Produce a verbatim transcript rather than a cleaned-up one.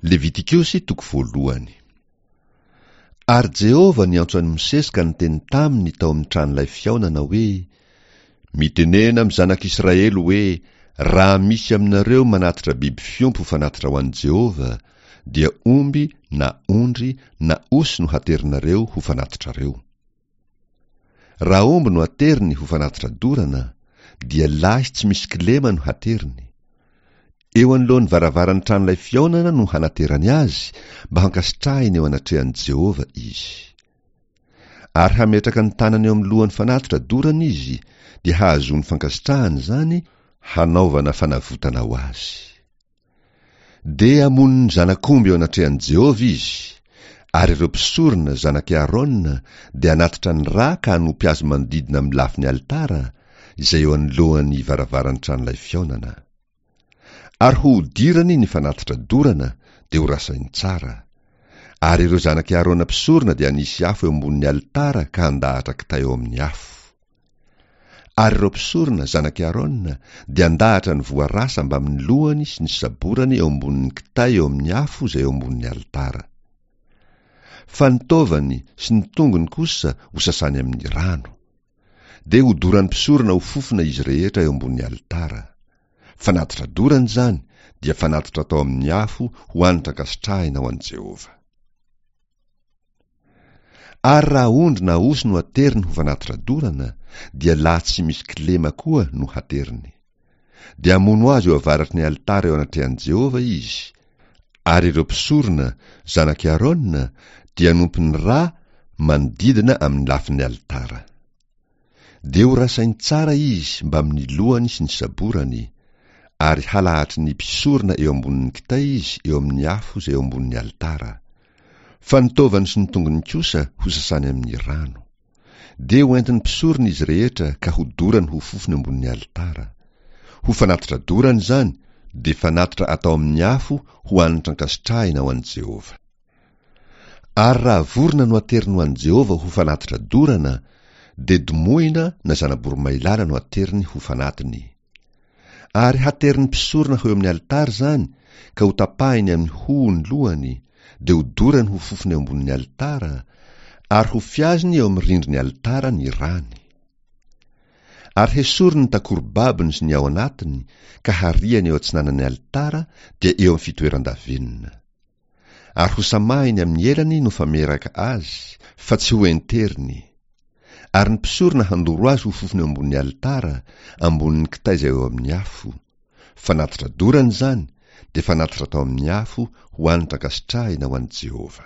Levitikosy toko voalohany. Ary Jehovah niantso an'i Mosesy ka niteny taminy tao amin'ny tranolay fihaonana hoe: Mitenena amin'ny zanak'Israely hoe: Raha misy aminareo manatitra biby fiompy ho fanatitra ho an'i Jehovah, dia omby na ondry na osy no haterinareo ho fanatitrareo. Raha omby no ateriny ho fanatitra dorana, dia lahy tsy misy kilema no hateriny. Eo anoloan'ny varavaran'ny tranolay fihaonana no hanaterany azy mba hankasitrahiny eo anatrehan'i Jehovah izy. Ary hametraka ny tanany eo amin'ny lohan'ny fanatitra dorana izy, dia hahazoany fankasitrahana izany, hanaovana fanavotana ho azy. Dia hamono ny zanak'omby eo anatrehan'i Jehovah izy, ary ireo mpisorona zanak'i Aarona dia hanatitra ny rà ka hanopy azy manodidina amin'ny lafin'ny alitara, izay eo anoloan'ny varavaran'ny tranolay fihaonana. Ary hohodirany ny fanatitra dorana, dia horasainy tsara. Ary ireo zanak'i Aarona mpisorona dia hanisy afo eo ambonin'ny alitara ka handahatra kitay eo amin'ny afo. Ary ireo mpisorona, zanak'i Aarona, dia handahatra ny voarasa mbamin'ny lohany sy ny saborany eo ambonin'ny kitay eo amin'ny afo izay eo ambonin'ny alitara. Fa ny taovany sy ny tongony kosa hosasany amin'ny rano. Dia hodoran'ny mpisorona ho fofona izy rehetra eo ambonin'ny alitara. Fanatitra dorana izany, dia fanatitra atao amin'ny afo ho hanitra ankasitrahina ho an'i Jehovah. Ary raha ondry na osy no ateriny ho fanatitra dorana, dia lahy tsy misy kilema koa no hateriny. Dia hamono azy eo avaratry ny alitara eo anatrehan'i Jehovah izy, ary ireo mpisorona, zanak'i Aarona, dia hanompo ny rà manodidina amin'ny lafin'ny alitara. Dia horasainy tsara izy mbamin'ny lohany sy ny saborany, ary halahatry ny mpisorona eo ambonin'ny kitay izy eo amin'ny afo izay eo ambonin'ny alitara. Fa ny taovany sy ny tongony kosa hosasany amin'ny rano. Dia hoentin'ny mpisorona izy rehetra ka hodorany ho fofony ambonin'ny alitara. Ho fanatitra dorana izany, dia fanatitra atao amin'ny afo ho hanitra ankasitrahina ho an'i Jehovah. Ary raha vorona no ateriny ho an'i Jehovah ho fanatitra dorana, dia domohina na zana-boromailala no ateriny ho fanatiny. Ary haterin'ny mpisorona ho eo amin'ny alitara izany, ka hotapahiny amin'ny hoho ny lohany, dia hodorany ho fofona eo ambonin'ny alitara, ary hofiaziny eo amin'ny rindrin'ny alitara ny rany. Ary hesoriny ny takorobabony sy ny ao anatiny, ka hariany eo atsinanan'ny alitara, dia eo amin'ny fitoeran-davenona. Ary hosamahiny amin'ny elany no fameraka azy, fa tsy hoenteriny. Ary ny mpisorona handoro azy ho fofona eo ambonin'ny alitara, ambonin'ny kitay izay eo amin'ny afo. Fanatitra dorana izany, dia fanatitra atao amin'ny afo ho hanitra ankasitrahina ho an'i Jehovah.